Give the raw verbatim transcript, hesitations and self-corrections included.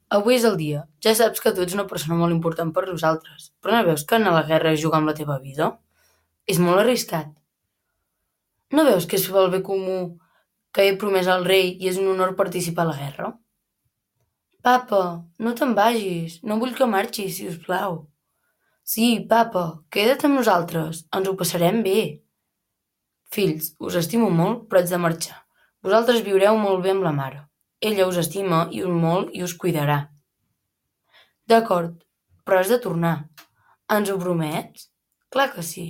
Avui és el dia. Ja saps que tu ets una persona molt important per nosaltres, però no veus que anar a la guerra és jugar amb la teva vida? És molt arriscat. No veus que és pel bé comú que he promès al rei i és un honor participar a la guerra? Papa, no te'n vagis. No vull que marxis, si us plau. Sí, papa, queda't amb nosaltres. Ens ho passarem bé. Fills, us estimo molt, però haig de marxar. Vosaltres viureu molt bé amb la mare. Ella us estima i us molt i us cuidarà. D'acord, però has de tornar. Ens ho promets? Clar que sí.